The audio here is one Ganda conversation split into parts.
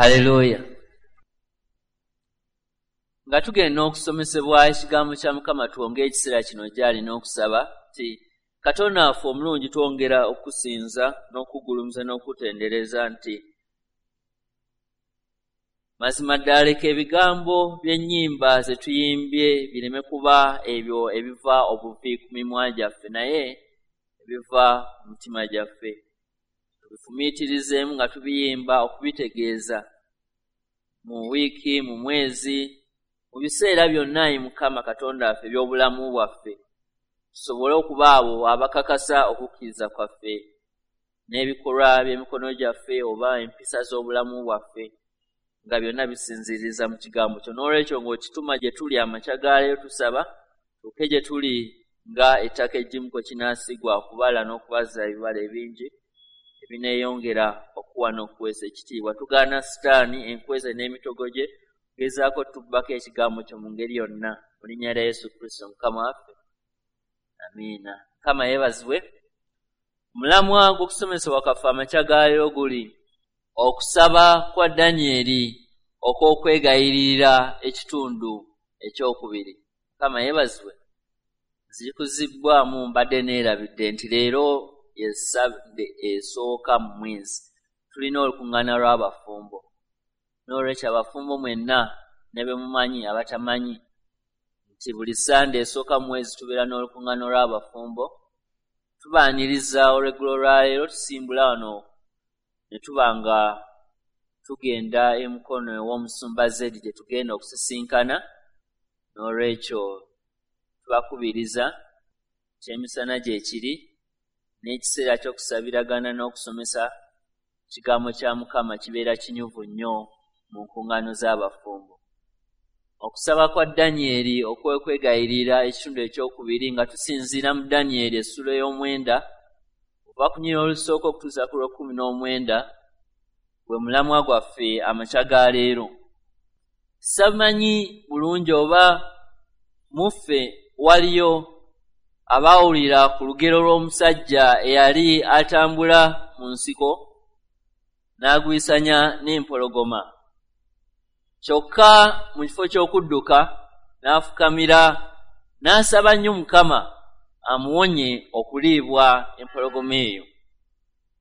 Haleluya. Nga tugenda okusomesebwa ekigambo kya Mukama, twongere ekiseera kino gy'ali n'okusaba nti Katonda waffe omulungi, twongera okusinza n'okugulumiza n'okutendereza nti mazima ddala leka ebigambo by'ennyimba ze tuyimbye bireme kuba ebyo ebiva obuvi ku mimwa gyaffe, naye ebiva mu mitima gyaffe. Tubifumiitirizeemu nga tubiyimba okubitegeeza mu wiiki, mu mwezi, mu biseera byonna, ayi Mukama Katonda waffe, eby'obulamu bwaffe, tusobole okuba abo abakakasa okukkiriza kwaffe n'ebikolwa by'emikono gyaffe oba empisa z'obulamu bwaffe, nga byonna bisinziiriza mu kigambo kyo. N'olwekyo ng'okituma gye tuli amakya ga leero, tusaba tuuke gye tuli nga ettaka eggimu kwe kinaasigwa okubala n'okubazza ebibala ebingi ebineeyongera okuwa n'okuweesa ekitiibwa. Tugaana Sitaani, enkweze n'emitego gye gezaako tubbako ekigambo kyo mu ngeri yonna, mu linnya lya Yesu Kristo Mukama waffe, amiina. Mukama yeebazibwe. Omulamwa gw'okusomesebwa kwaffe amakya ga leero guli okusaba kwa Danyeri okw'okwegayirira, ekitundu ekyokubiri. Mukama yeebazibwe. Nzikuzibbwamu, mbadde neerabidde nti leero ye Ssande esooka mu mwezi, tulina olukuŋŋaana lw'abafumbo. N'olwekyo abafumbo mwenna ne be mumanyi, abatamanyi, nti buli Ssande esooka mu mwezi tubeera n'olukuŋŋaana lw'abafumbo. Tubaaniriza olweggulo lwaleero. Tusimbula wano ne tuba nga tugenda emukono ew'omusumba Zedi gye tugenda okusisinkana. N'olwekyo tubakubiriza, kyemisana gye kiri n'ekiseera ky'okusabiragana n'okusomesa kigambo kya Mukama kibeera kinyuvu nnyo mu nkuŋŋaano z'abafumbo. Okusaba kwa Danyeri okwekwegayirira, ekitundu ekyokubiri, nga tusinziira mu Danyeri essuula ey'omwenda okuva ku nnyiriri olusooka okutuusa ku lw'ekumi n'omwenda, gwe mulamwa gwaffe amakya ga leero. Samanyi bulungi oba muffe waliyo abaawulira ku lugero lw'omusajja eyali atambula mu nsiko n'agwisanya n'empologoma, kyokka mu kifo ky'okudduka n'afukamira n'asaba nnyo Mukama amuwonye okuliibwa empologoma eyo.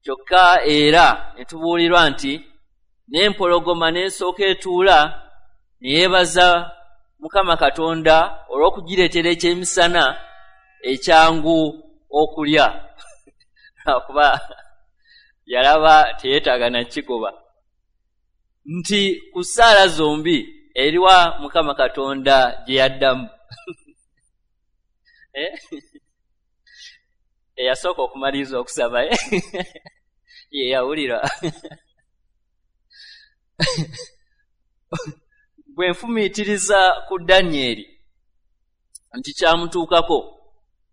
Kyokka era ne tubuulirwa nti n'empologoma n'esooka etuula ne yeebaza Mukama Katonda olw'okugireetera ekyemisana ekyangu okulya, lwakuba yalaba teyeetaaga nakigoba, nti ku ssaala zombi eriwa Mukama Katonda gye yaddamu? Eh? Eyasooka okumaliriza okusaba ye yawulira. Bwe nfumiitiriza ku Danyeri nti kyamutuukako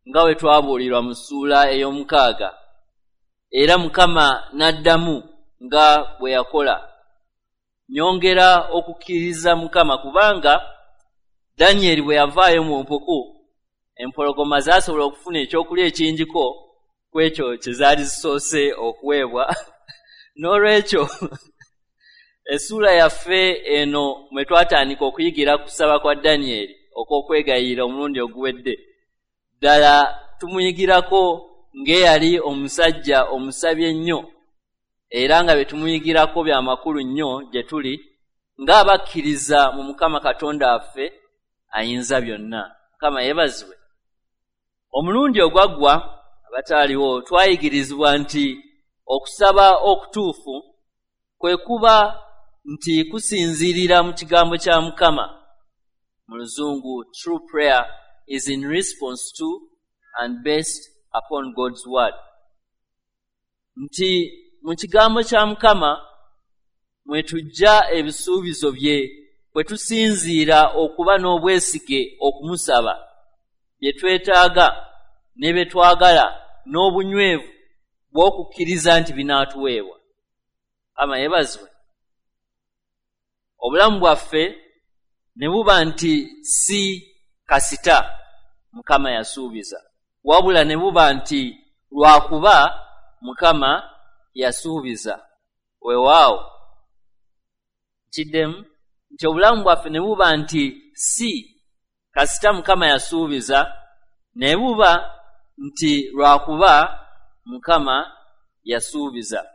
nga bwe twabuulirwa mu ssuula ey'omukaaga, era Mukama n'addamu nga bwe yakola, nyongera okukkiriza Mukama, kubanga Danyeri bwe yavaayo mu mpuku, empologoma zaasobola okufuna ekyokulya ekingiko ku ekyo kye zaali zisoose okuweebwa. N'olwekyo essuula yaffe eno mwe twatandika okuyigira kusaba kwa Danyeri okw'okwegayirira omulundi oguwedde, ddala tumuyigirako ng'eyali omusajja omusabi ennyo, era nga bye tumuyigirako bya makulu nnyo gye tuli ng'abakkiriza mu Mukama Katonda waffe ayinza byonna. Mukama yeebazibwe. Omulundi ogwaggwa, abataaliwo, twayigirizibwa nti okusaba okutuufu kwe kuba nti kusinziirira mu kigambo kya Mukama. Mu Luzungu, "True prayer is in response to and based upon God's word," nti mu kigambo kya Mukama mwe tujja ebisuubizo bye, kwe tusinziira okuba n'obwesige okumusaba bye twetaaga ne bye twagala n'obunywevu bw'okukkiriza nti binaatuweebwa. Ama yeebazibwe. Obulamu bwaffe ne buba nti si kasita Mukama yasuubiza, wabula ne buba nti lwakuba Mukama yasuubiza. Weewaawo. Nkiddemu nti obulamu bwaffe ne buba nti si kasita Mukama yasuubiza, ne buba nti lwakuba Mukama yasuubiza.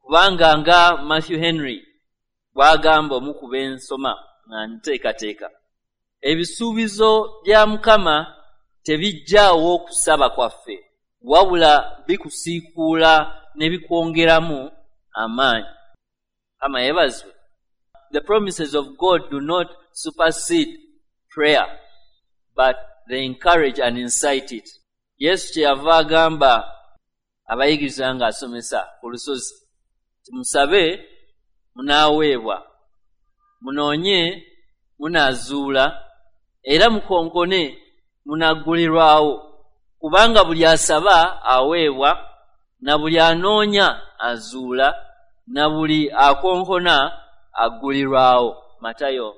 Kubanga nga Matthew Henry bw'agamba omu ku b'ensoma nga nteekateeka, ebisuubizo bya Mukama tebijjaawo okusaba kwaffe, wabula bikusiikuula ne bikwongeramu amaanyi. Mukama yeebazibwe. The promises of God do not supersede prayer, but they encourage and incite it. Yesu kyeyava agamba abayigiriza ng'asomesa ku lusozi nti musabe munaaweebwa, munoonye munaazuula, era mukonkone munaggulirwawo, kubanga buli asaba aweebwa, na buli anoonya azuula, na buli akonkona aggulirwawo. Matayo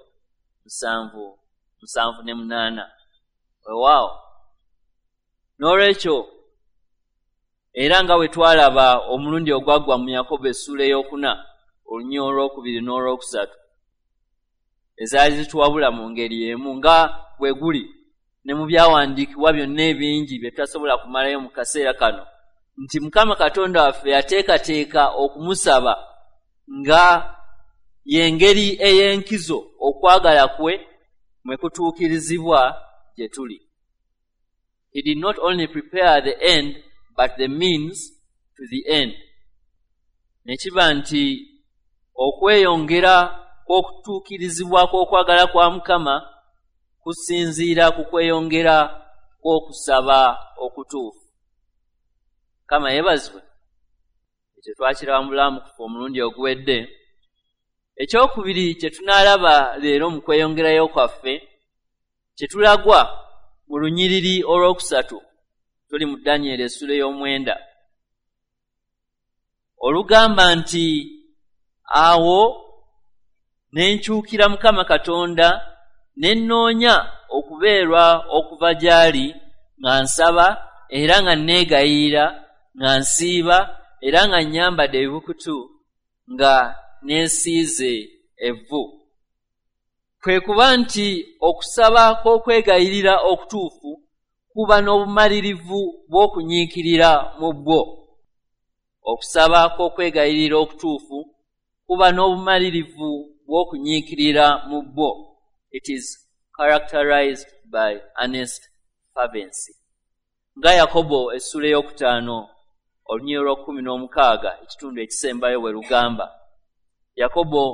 7:7-8. Weewaawo. N'olwekyo era nga bwe twalaba omulundi ogwaggwa mu Yakobo essuula 4 olunyiriri olwokubiri n'olwokusatu ezaali zituwabula mu ngeri emu nga bwe guli ne mu byawandiikibwa byonna ebingi bye tutasobola kumalayo mu kaseera kano, nti Mukama Katonda waffe yateekateeka okumusaba nga y'engeri ey'enkizo okwagala kwe mwe kutuukirizibwa gye tuli. He did not only prepare the end, but the means to the end. Ne kiba nti okweyongera kw'okutuukirizibwa kw'okwagala kwa Mukama kusinziira ku kweyongera kw'okusaba okutuufu. Mukama yeebazibwe. Ekyo twakiraba mu bulamu kufa omulundi oguwedde. Ekyokubiri kye tunaalaba leero mu kweyongerayo kwaffe kye tulagwa mu lunyiriri olwokusatu, tuli mu Danyeri essula 9, olugamba nti awo ne nkyukira Mukama Katonda ne nnoonya okubeerwa okuva gy'ali, nga nsaba era nga neegayirira, nga nsiiba era nga nnyambadde ebibukutu, nga neesiize evvu. Kwe kuba nti okusaba kw'okwegayirira okutuufu kuba n'obumalirivu bw'okunyiikirira mu bwo. Okusaba kw'okwegayirira okutuufu kuba n'obumalirivu bw'okunyiikirira mu bwo. It is characterized by earnest fervency. Nga Yakobo essula 5 olunyiriri olw'okumu ekitundu ekisembayo bwe lugamba. Yakobo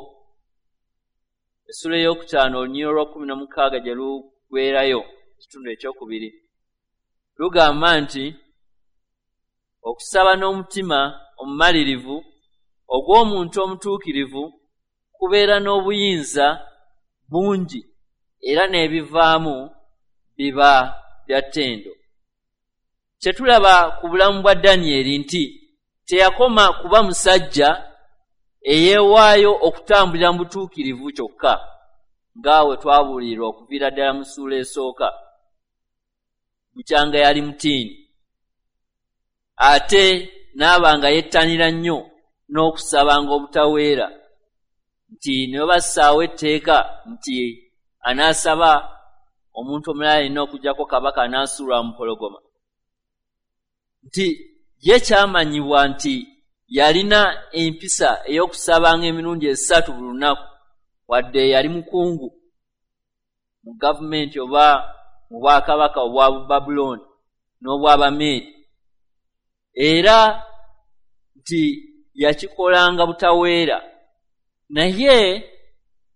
essula 5 olunyiriri olw'okumu gye lugwerayo ekitundu ekyokubiri lugamba nti okusaba n'omutima omumalirivu ogw'omuntu omutuukirivu kubeera n'obuyinza bungi era n'ebivaamu biba bya ttendo. Kye tulaba ku bulamu bwa Danyeri nti teyakoma kuba musajja eyeewaayo okutambulira mu butuukirivu kyokka nga we twabuulirwa okuviira ddala mu ssuula esooka, bukyanga yali mutiini, ate n'aba nga yettanira nnyo n'okusabanga obutaweera, nti ne bwe bassaawo etteeka nti anaasaba omuntu omulala alina okuggyako kabaka anaasuulwa mu mpologoma, nti ye kyamanyibwa nti yalina empisa ey'okusabanga emirundi 3 buli lunaku, wadde yali mukungu mu gavumenti oba mu bwakabaka obwa Babulooni n'obw'Abameedi, era nti yakikolanga butaweera. Naye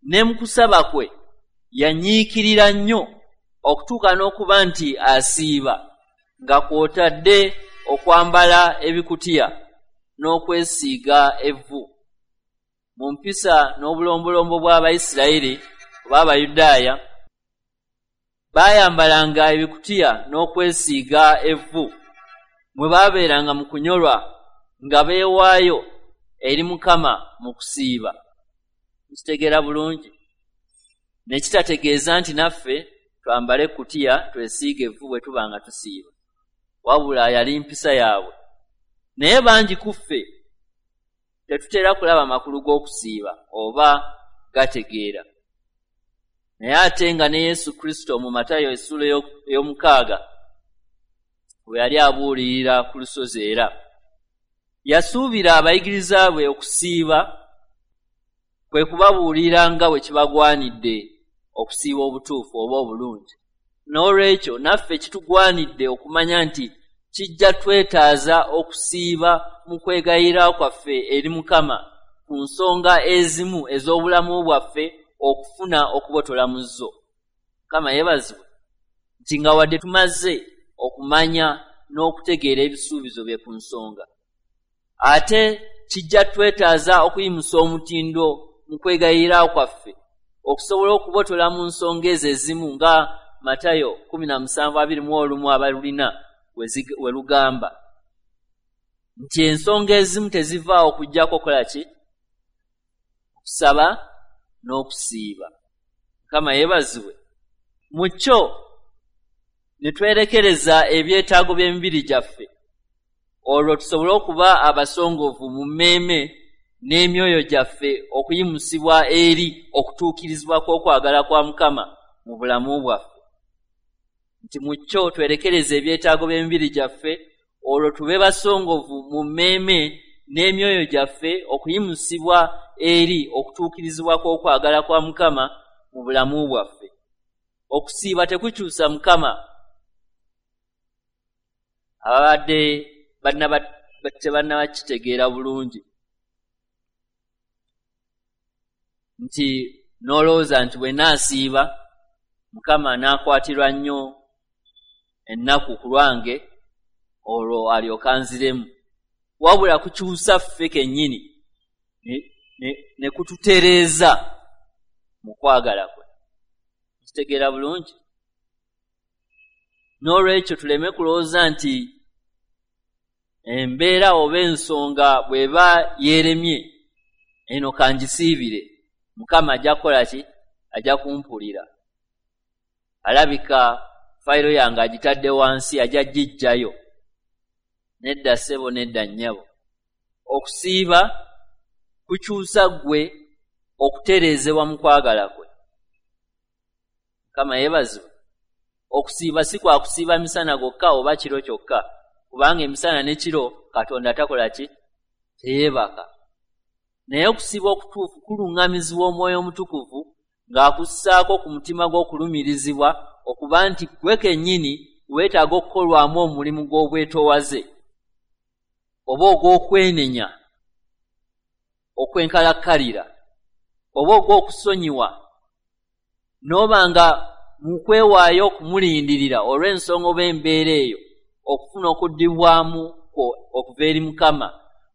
ne mu kusaba kwe yanyiikirira nnyo okutuuka n'okuba nti asiiba, nga kw'otadde okwambala ebikutiya n'okwesiiga evvu. Mu mpisa n'obulombolombo bw'Abayisirayiri oba Abayudaaya baayambalanga ebikutiya n'okwesiiga evvu mwe baabeeranga mu kunyolwa nga beewaayo eri Mukama mu kusiiba. Nkitegeera bulungi? Ne kitategeeza nti naffe twambale ekkutiya twesiige evvu bwe tuba nga tusiiba, wabula yali mpisa yaabwe. Naye bangi ku ffe tetutera kulaba makulu g'okusiiba oba gategeera. Naye ate nga ne Yesu Kristo mu Matayo essuula ey'omukaaga bwe yali abuulirira ku lusozi, era yasuubira abayigiriza bwe okusiiba kwe kubabuulira nga bwe kibagwanidde okusiiba obutuufu oba obulungi. N'olwekyo naffe kitugwanidde okumanya nti kijja twetaaza okusiiba mu kwegayirira kwaffe eri Mukama ku nsonga ezimu ez'obulamu bwaffe okufuna okubotola mu zo. Mukama yeebazibwe nti nga wadde tumaze okumanya n'okutegeera ebisuubizo bye ku nsonga, ate kijja twetaaza okuyimusa omutindo mu kwegayirira kwaffe okusobola okubotola mu nsonga ezo ezimu nga Matayo 17:21 abalulina we lugamba nti ensonga ezimu tezivaawo okuggyako okukola ki? Okusaba n'okusiiba. Mukama yeebazibwe. Mu kyo ne twerekereza ebyetaago by'emibiri gyaffe, olwo tusobole okuba abasongovu mu mmeeme n'emyoyo gyaffe okuyimusibwa eri okutuukirizibwa kw'okwagala kwa Mukama mu bulamu bwaffe. Nti mu kyo twerekereza ebyetaago by'emibiri gyaffe, olwo tube basongovu mu mmeeme n'emyoyo gyaffe okuyimusibwa eri okutuukirizibwa kw'okwagala kwa Mukama mu bulamu bwaffe. Okusiiba tekukyusa Mukama. Ababadde tebannabakitegeera bulungi nti n'olowooza nti bwe naasiiba Mukama anakwatirwa nnyo ennaku ku lwange olwo alyoka anziremu. Wabula kukyusa ffe kennyini ne kututereeza mu kwagala kwe. Kitegeera bulungi. N'olwekyo tuleme kulowooza nti embeera oba ensonga bw'eba yeeremye eno kangisiibire, Mukama ajja kukola ki? Ajja kumpulira. Alabika fayiro yange agitadde wansi, ajja giggyayo. Nedda ssebo, nedda nnyabo. Okusiiba kukyusa ggwe okutereezebwa mu kwagala kwe. Mukama yeebazibwe. Okusiiba si kwa kusiiba misana gwokka oba kiro kyokka, kubanga emisana n'ekiro Katonda takola ki? Teyeebaka. Naye okusiiba okutuufu kuluŋŋamizibwa Omwoyo Omutukuvu ng'akussaako ku mutima gw'okulumirizibwa okuba nti ggwe kennyini weetaaga okukolwamu omulimu gw'obwetoowaze oba ogw'okwenenya okwenkalakkalira oba ogw'okusonyiwa, n'oba nga mu kwewaayo okumulindirira olw'ensonga oba embeera eyo okufuna okuddibwamu kwo okuva eri Mukama,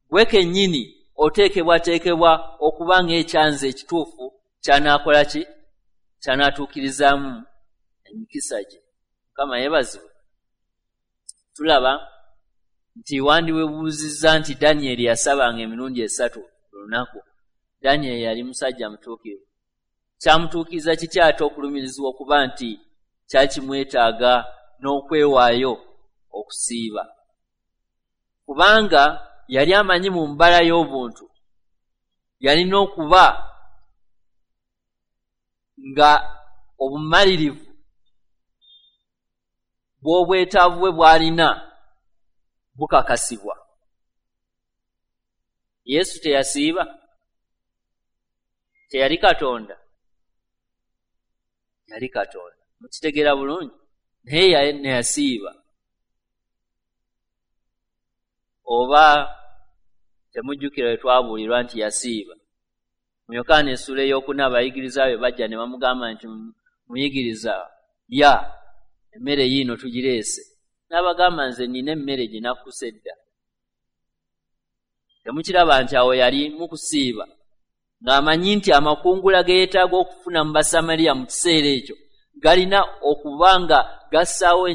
ggwe kennyini oteekebwateekebwa okuba ng'ekyanzi ekituufu ky'anaakola ki? Ky'anaatuukirizaamu emikisa gye. Mukama yeebazibwe. Tulaba nti wandiwebuuzizza nti Danyeri yasabanga emirundi 3 olunaku. Danyeri yali musajja mutuukirivu. Kyamutuukiriza kitya ate okulumirizibwa okuba nti kyakimwetaaga n'okwewaayo okusiiba? Kubanga yali amanyi mu mbala y'obuntu yalina okuba nga obumalirivu bw'obwetaavu bwe bw'alina bukakasibwa. Yesu teyasiiba? Teyali Katonda? Yali Katonda. Mukitegeera bulungi? Naye neyasiiba. Oba temujjukira bwe twabuulirwa nti yasiiba. Mu Yokaana essuula 4 abayigiriza be bajja ne bamugamba nti muyigiriza, lya emmere yiino tugireese. N'abagamba nze nnina emmere gye nakkusa edda. Temukiraba nti awo yali mu kusiiba ng'amanyi nti amakungula ge yeetaaga okufuna mu Basamaliya mu kiseera ekyo galina okuba nga gassaawo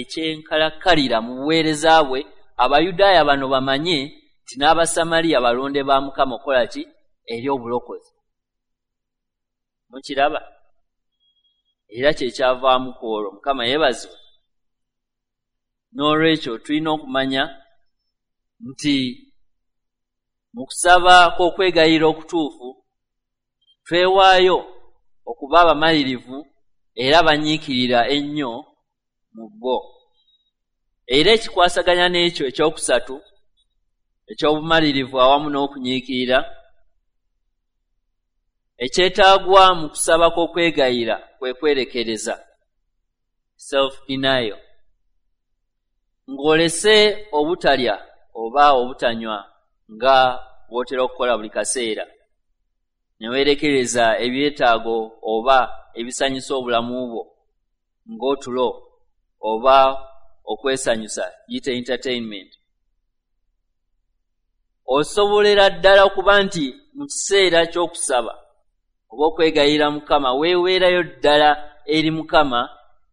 ekyenkalakkalira mu buweereza bwe, Abayudaaya bano bamanye nti n'Abasamaliya balonde ba Mukama okukola ki? Eri obulokozi. Mukiraba? Era kye kyavaamu ku olwo. Mukama yeebazibwe. N'olwekyo tulina okumanya nti mu kusaba kw'okwegayirira okutuufu Twewaayo okuba abamalirivu era banyiikirira ennyo mu bwo. Era ekikwasaganya n'ekyo ekyokusatu eky'obumalirivu awamu n'okunyiikirira ekyetaagwa mu kusaba kw'okwegayira kwe kwerekereza, self denial, ng'olese obutalya oba obutanywa nga bw'otera okukola buli kaseera, ne weerekereza ebyetaago oba ebisanyusa obulamu bwo ng'otulo oba okwesanyusa, yite entertainment. Osobolera ddala okuba nti mu kiseera ky'okusaba oba okwegayirira Mukama weeweerayo ddala eri Mukama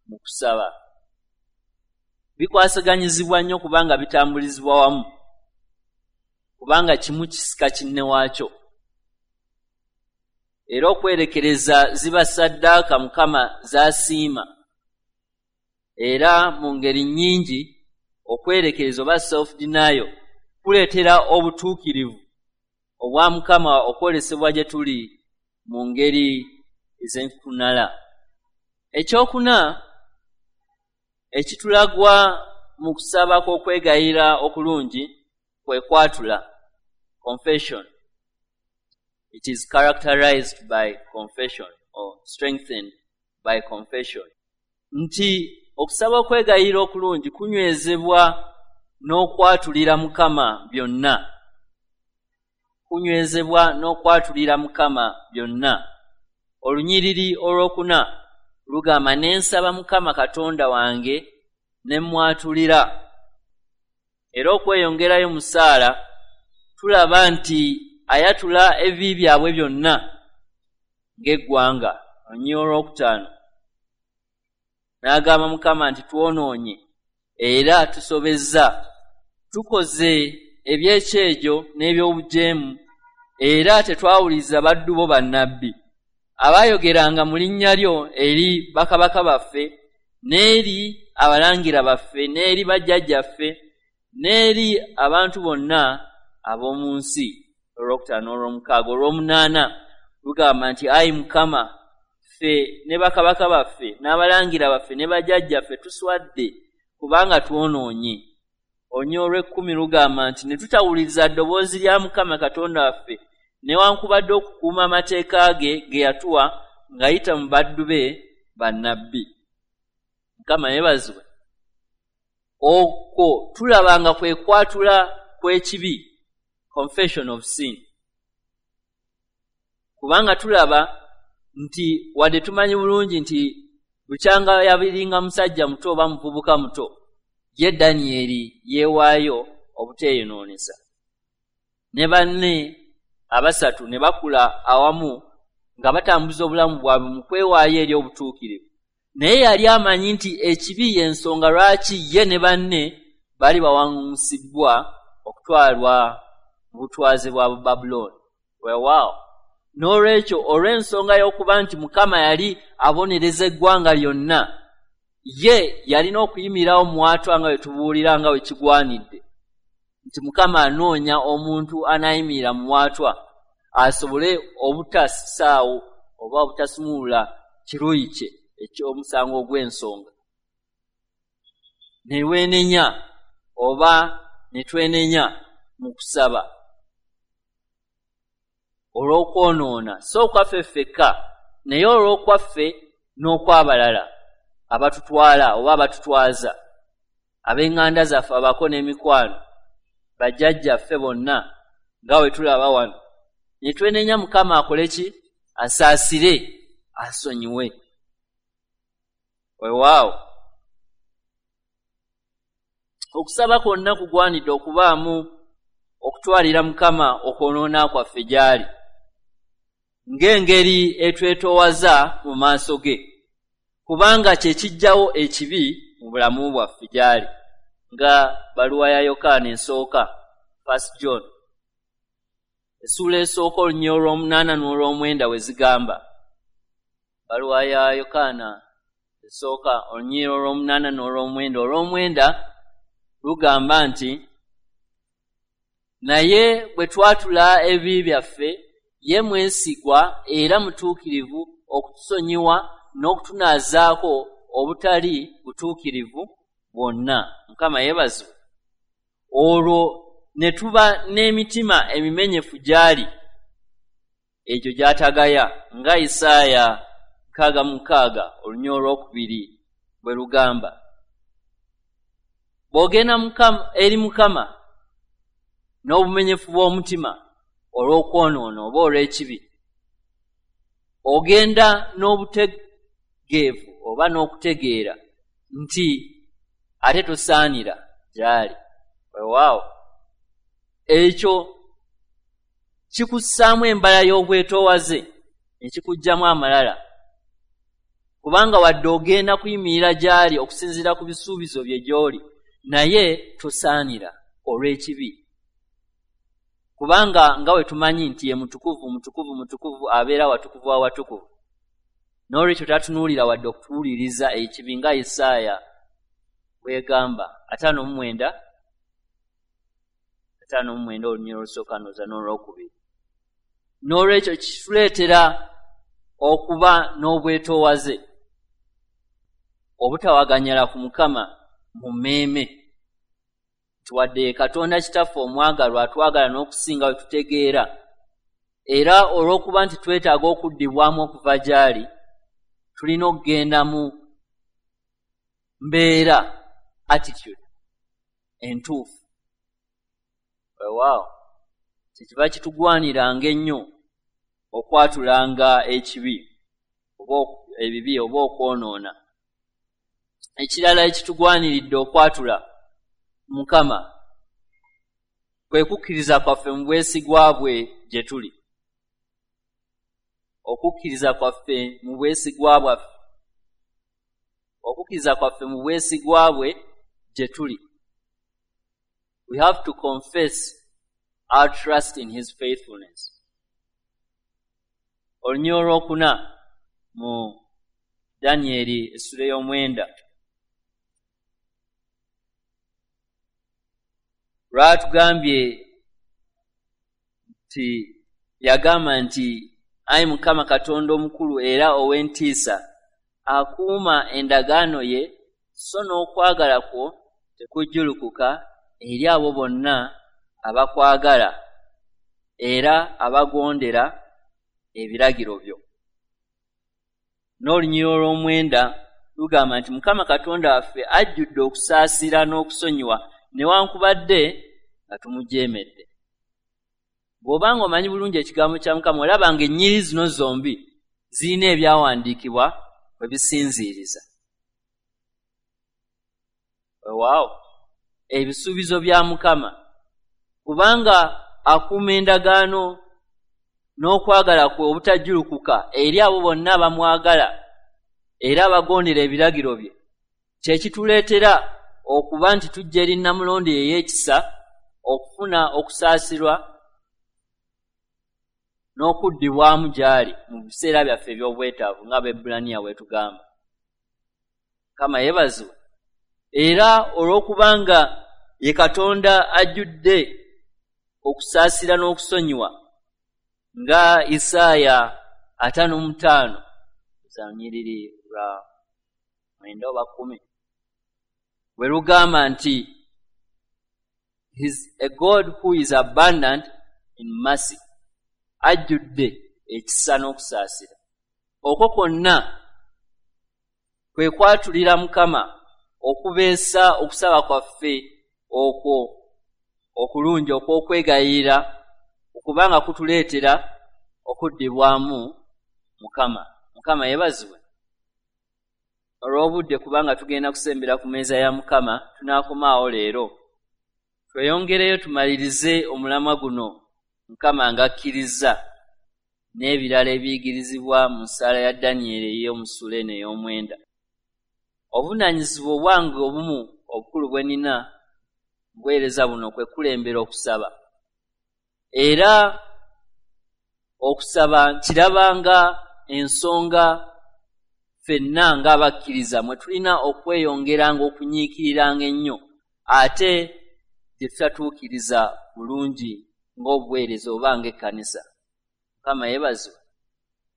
mu kusaba. Bikwasaganyizibwa nnyo kubanga bitambulizibwa wamu, kubanga kimu kisika kinne waakyo. Era okwerekereza ziba ssaddaaka Mukama z'asiima. Era mu ngeri nnyingi okwerekereza oba self denial kuleetera obutuukirivu obwa Mukama okwolesebwa gye tuli mu ngeri ez'enkukunala. Ekyokuna ekitulagwa mu kusaba kw'okwegayira okulungi kwe kwatula, confession. It is characterized by confession or strengthened by confession. Nti okusaba okwegayira okulungi kunywezebwa n'okwatulira Mukama byonna. Kunywezebwa n'okwatulira Mukama byonna. Olunyiriri olwokuna lugamba, ne nsaba Mukama Katonda wange ne mmwatulira. Era okweyongerayo mu ssaala tulaba nti ayatula ebibi byabwe byonna ng'eggwanga. Olunyiriri olwokutaano n'agamba Mukama nti twonoonye era tusobezza, tukoze ebyekyejo n'ebyobujeemu, era tetwawuliriza baddu bo bannabbi abaayogeranga mu linnya lyo eri bakabaka baffe n'eri abalangira baffe n'eri bajjajjaffe n'eri abantu bonna ab'omu nsi. Olwokutaano n'olwomukaaga. Olw'omunaana lugamba nti ayi Mukama, ffe ne bakabaka baffe n'abalangira baffe ne bajjajjaffe tuswadde kubanga twonoonye. Olunyiriri olw'ekkumi lugamba nti ne tutawuliriza ddoboozi lya Mukama Katonda waffe newankubadde okukuuma amateeka ge ge yatuwa ng'ayita mu baddu be bannabbi. Mukama yeebazibwe. Okwo tulaba nga kwe kwatula kw'ekibi, confession of sin. Kubanga tulaba nti wadde tumanyi bulungi nti bukyanga yabiringa musajja muto oba muvubuka muto, ye Danyeri yeewaayo obuteeyonoonesa. Ne banne abasatu ne bakula awamu nga batambuza obulamu bwabwe mu kwewaayo eri obutuukirivu. Naye yali amanyi nti ekibi y'ensonga lwaki ye ne banne bali bawaŋŋangusibbwa okutwalwa mu butwaze bwa Babulooni. Weewaawo, n'olwekyo olw'ensonga y'okuba nti Mukama yali abonereza eggwanga lyonna, ye yalina okuyimirirawo mwatwa nga bwe tubuulira nga bwe kigwanidde nti Mukama anoonya omuntu anaayimirira mu mwatwa asobole obutasaawo oba obutasumulula kiruyi kye eky'omusango ogw'ensonga. Ne weenenya oba ne twenenya mu kusaba olw'okwonoona, si okwaffe ffekka naye olw'okwaffe n'okw'abalala abatutwala oba abatutwaza, ab'eŋŋanda zaffe, abako n'emikwano, bajjajjaffe bonna nga bwe tulaba wano. Ne twenenya Mukama akole ki? Asaasire, asonyiwe. Weewaawo, okusaba kwonna kugwanidde okubaamu okutwalira Mukama okwonoona kwaffe gy'ali ng'engeri etwetoowaza mu maaso ge, kubanga kye kiggyawo ekibi mu bulamu bwaffe gy'ali, nga baluwa ya Yokaana esooka, First John essuula esooka olunyiriri olw'omunaana n'olw'omwenda we zigamba. Baluwa ya Yokaana esooka olunyiriri olw'omunaana n'olw'omwenda. Olw'omwenda lugamba nti naye bwe twatula ebibi byaffe, Ye mwesigwa era mutuukirivu okutusonyiwa n'okutunaazaako obutali butuukirivu bwonna. Mukama yeebazibwe. Olwo ne tuba n'emitima emimenyefu gy'ali, egyo gy'atagaya, nga Isaaya 66 olunyiriri olwokubiri bwe lugamba. Bw'ogenda eri Mukama n'obumenyefu bw'omutima olw'okwonoona oba olw'ekibi, ogenda n'obutegeevu oba n'okutegeera nti ate tosaanira gy'ali. Weewaawo, ekyo kikussaamu embala y'obwetoowaze ne kikuggyamu amalala, kubanga wadde ogenda kuyimirira gy'ali okusinziira ku bisuubizo bye gy'oli, naye tosaanira olw'ekibi. Kubanga nga bwe tumanyi nti ye mutukuvu, mutukuvu, mutukuvu, abeera watukuvu awatukuvu. N'olwekyo tatunuulira wadde okutuwuliriza ekibi, nga Isaaya bw'egamba 59 59 olunyiriri olusooka n'oza n'olwokubiri. N'olwekyo kituleetera okuba n'obwetoowaze, obutawaganyala ku Mukama mu mmeeme, nti wadde ye Katonda Kitaffe omwagalwa atwagala n'okusinga bwe tutegeera, era olw'okuba nti twetaaga okuddibwamu okuva gy'ali, tulina okugenda mu mbeera attitude entuufu. Weewaawo, kyekiva kitugwaniranga ennyo okwatulanga ekibi oba ebibi oba okwonoona. Ekirala ekitugwaniridde okwatula Mukama kwe kukkiriza kwaffe mu bwesigwa bwe gye tuli. Okukkiriza kwaffe mu bwesigwa bwaffe, okukkiriza kwaffe mu bwesigwa bwe gye tuli. We have to confess our trust in his faithfulness. Olunyiriri olwokuna mu Danyeri essula ey'omwenda lwatugambye nti yagamba nti, ayi Mukama Katonda omukulu era ow'entiisa, akuuma endagaano ye, so n'okwagala kwo tekujjulukuka eri abo bonna abakwagala era abagondera ebiragiro byo. N'olunyiriri olw'omwenda lugamba nti Mukama Katonda waffe ajjudde okusaasira n'okusonyiwa newankubadde nga tumujeemedde. Bw'obanga omanyi bulungi ekigambo kya Mukama, olaba ng'ennyiriri zino zombi zirina ebyawandiikibwa we bisinziiriza. Weewaawo, ebisuubizo bya Mukama, kubanga akuuma endagaano n'okwagala kwe obutajjulukuka eri abo bonna abamwagala era abagondera ebiragiro bye, kye kituleetera okuba nti tujja eri Nnamulondo ey'ekisa okufuna okusaasirwa n'okuddibwamu gy'ali mu biseera byaffe eby'obwetaavu, nga Abaebbulaniya bwe tugamba. Mukama yeebazibwe. Era olw'okubanga ye Katonda ajjudde okusaasira n'okusonyiwa, nga Isaaya 55 lunyiriri lwa 9 oba 10 bwe lugamba nti he is a God who is abundant in mercy, ajjudde ekisa n'okusaasira. Okwo kwonna kwe kwatulira Mukama okubeesa okusaba kwaffe okwo okulungi okw'okwegayirira, okubanga kutuleetera okuddibwamu Mukama. Mukama yeebazibwe. Olw'obudde, kubanga tugenda kusembera ku mmeeza ya Mukama, tunaakomaawo leero. Tweyongereyo tumalirize omulamwa guno Mukama ng'akkirizza n'ebirala ebiyigirizibwa mu ssaala ya Danyeri ey'omu ssuula eno ey'omwenda. Obuvunaanyizibwa obwange obumu obukulu bwe nnina mu buweereza buno kwe kukulembera okusaba. Era okusaba nkiraba nga ensonga ffenna ng'abakkiriza mwe tulina okweyongeranga okunyiikiriranga ennyo, ate gye tutatuukiriza bulungi ng'obuweereza oba ng'ekkanisa. Mukama yeebazibwe.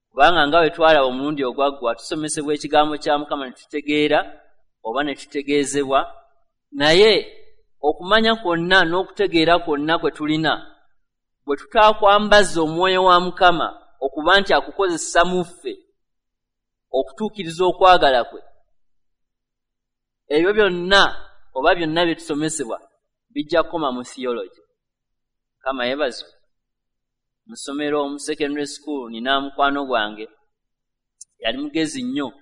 Kubanga nga bwe twalaba omulundi ogwaggwa, tusomesebwa ekigambo kya Mukama ne tutegeera oba ne tutegeezebwa, naye okumanya kwonna n'okutegeera kwonna kwe tulina bwe tutaakwambaza omwoyo wa Mukama okuba nti akukozesa mu ffe okutuukiriza okwagala kwe, ebyo byonna oba byonna bye tusomesebwa bijja kukoma mu theology. Mukama yeebazibwe. Mu ssomero mu secondary school nina mukwano gwange yali mugezi nnyo,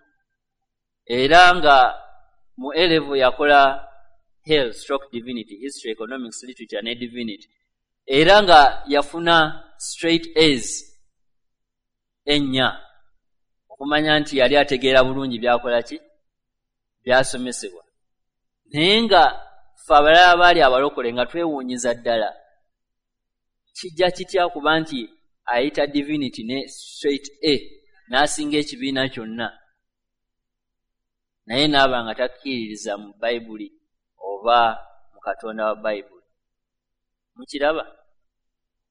era nga mu A level yakola Hell stroke divinity, history, economics, literature ne divinity, era nga yafuna straight A's 4, okumanya nti yali ategeera bulungi byakola ki byasomesebwa. Naye nga ffe abalala baali abalokole nga twewuunyiza ddala, kijja kitya kuba nti ayita divinity ne straight A n'asinga ekibiina kyonna, naye n'aba nga takkiririza mu Bayibuli oba mu Katonda wa Bayibuli. Mukiraba?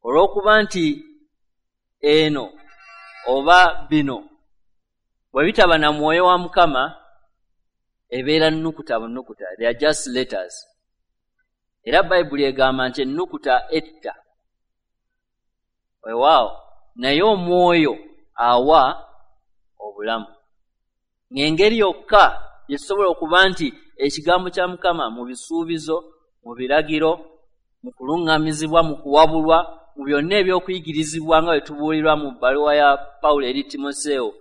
Olw'okuba nti eno oba bino bwe bitaba na mwoyo wa Mukama, ebeera nnukuta bunukuta, they are just letters. Era Bayibuli egamba nti ennukuta etta, weewaawo, naye omwoyo awa obulamu. Ng'engeri yokka gye tusobola okuba nti ekigambo kya Mukama mu bisuubizo, mu biragiro, mu kuluŋŋamizibwa, mu kuwabulwa, mu byonna ebyokuyigirizibwa nga bwe tubuulirwa mu bbaluwa ya Pawulo eri Timoseewo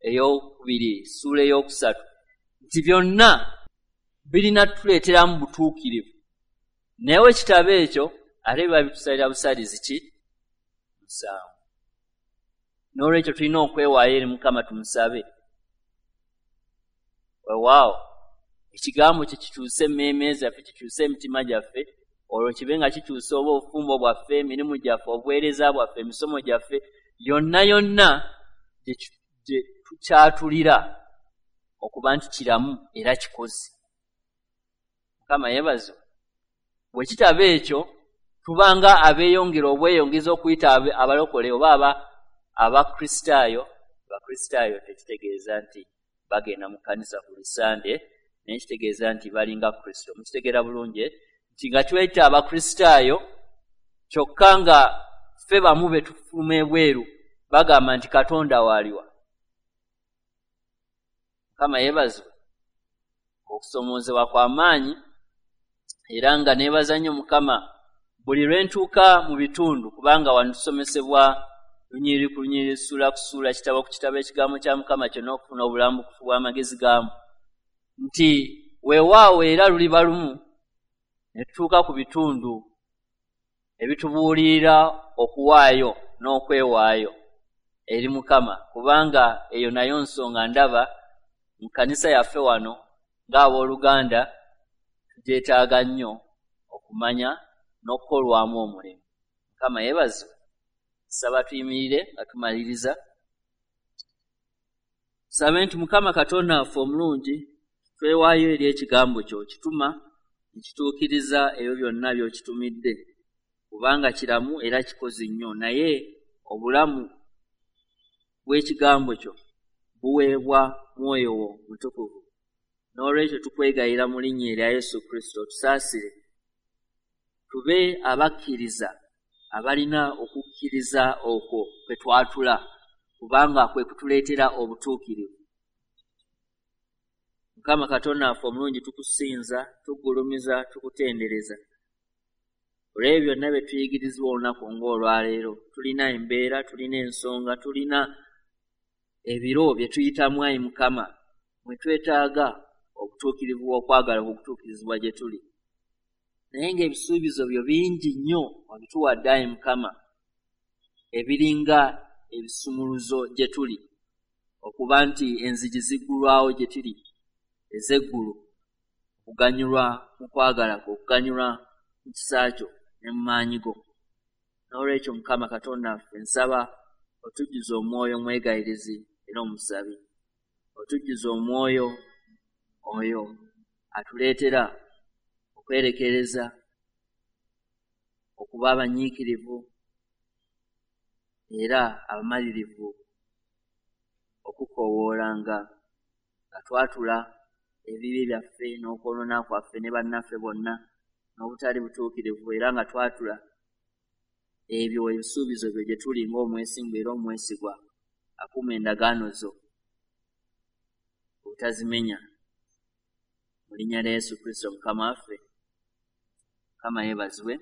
2 ssuula 3, nti byonna birina tuleeteramu butuukirivu. Naye we kitabo ekyo ate biba bitusalira busalizi ki? Musango. N'olwekyo tulina okwewaayo eri Mukama tumusabe. Weewaawo, ekigambo kye kikyuse emmeeme zaffe, kikyuse emitima gyaffe, olwo kibe nga kikyusa oba obufumbo bwaffe, emirimu gyaffe, obuweereza bwaffe, emisomo gyaffe, yonna yonna gye tukyatulira okuba nti kiramu era kikoze. Mukama yeebazibwe. Bwe kitaba ekyo, tubanga abeeyongera obweyongeza okuyita abalokole oba Abakristaayo. Abakristaayo tekitegeeza nti bagenda mu kkanisa ku Sande, naye kitegeeza nti balinga Kristo. Mukitegeera bulungi nti nga tweyita Abakristaayo kyokka nga ffe bamu be tufuluma ebweru bagamba nti Katonda waaliwa. Mukama yeebazibwe. Okusomoozebwa kwa maanyi, era nga neebaza nnyo Mukama buli lwe ntuuka mu bitundu, kubanga wano tusomesebwa lunyiriri ku lunyiriri, ssuula ku ssuula, kitabo ku kitabo, ekigambo kya Mukama kyonna okufuna obulambukufu bw'amagezi gaamu, nti weewaawo era luliba lumu ne tutuuka ku bitundu ebitubuulirira okuwaayo n'okwewaayo eri Mukama, kubanga eyo nayo nsonga ndaba mu kkanisa yaffe wano ng'abooluganda tugyetaaga nnyo okumanya n'okukolwamu omulimu. Mukama yeebazibwe. Nsaba tuyimirire nga tumaliriza. Tusabe nti Mukama Katonda waffe omulungi, twewaayo eri ekigambo kyo, kituma nekituukiriza ebyo byonna by'okitumidde, kubanga kiramu era kikozi nnyo, naye obulamu bw'ekigambo kyo buweebwa mwoyo wo mutukuvu. N'olwekyo tukwegayira mu linnya erya Yesu Kristo, tusaasire tube abakkiriza abalina okukkiriza okwo kwe twatula, kubanga kwe kutuleetera obutuukirivu. Mukama Katonda waffe omulungi, tukusinza, tugulumiza, tukutendereza olw'ebyo byonna bye tuyigirizibwa olunaku ng'olwaleero. Tulina embeera, tulina ensonga, tulina ebiro bye tuyitamu, ayi Mukama, mwe twetaaga obutuukirivu bw'okwagala okutuukirizibwa gye tuli. Naye ng'ebisuubizo byo bingi nnyo obituwadde, ayi Mukama, ebiringa ebisumuluzo gye tuli, okuba nti enzigi ziggulwawo gye tuli ez'eggulu, okuganyulwa mu kwagala kwo, okuganyulwa mu kisa kyo ne mu maanyi go. N'olwekyo Mukama Katonda waffe, nsaba otujjuze omwoyo omwegayirizi era omusabi, otujjuze omwoyo oyo atuleetera okwerekereza, okuba abanyiikirivu, era abamalirivu okukoowoolanga nga twatula ebibi byaffe n'okwonoona kwaffe ne bannaffe bonna n'obutali butuukirivu, era nga twatula ebyo ebisuubizo byo gye tuli ng'omwesimbu era omwesigwa akuuma endagaano zo obutazimenya. Mu linnya lya Yesu Kristo Mukama waffe. Mukama yeebazibwe.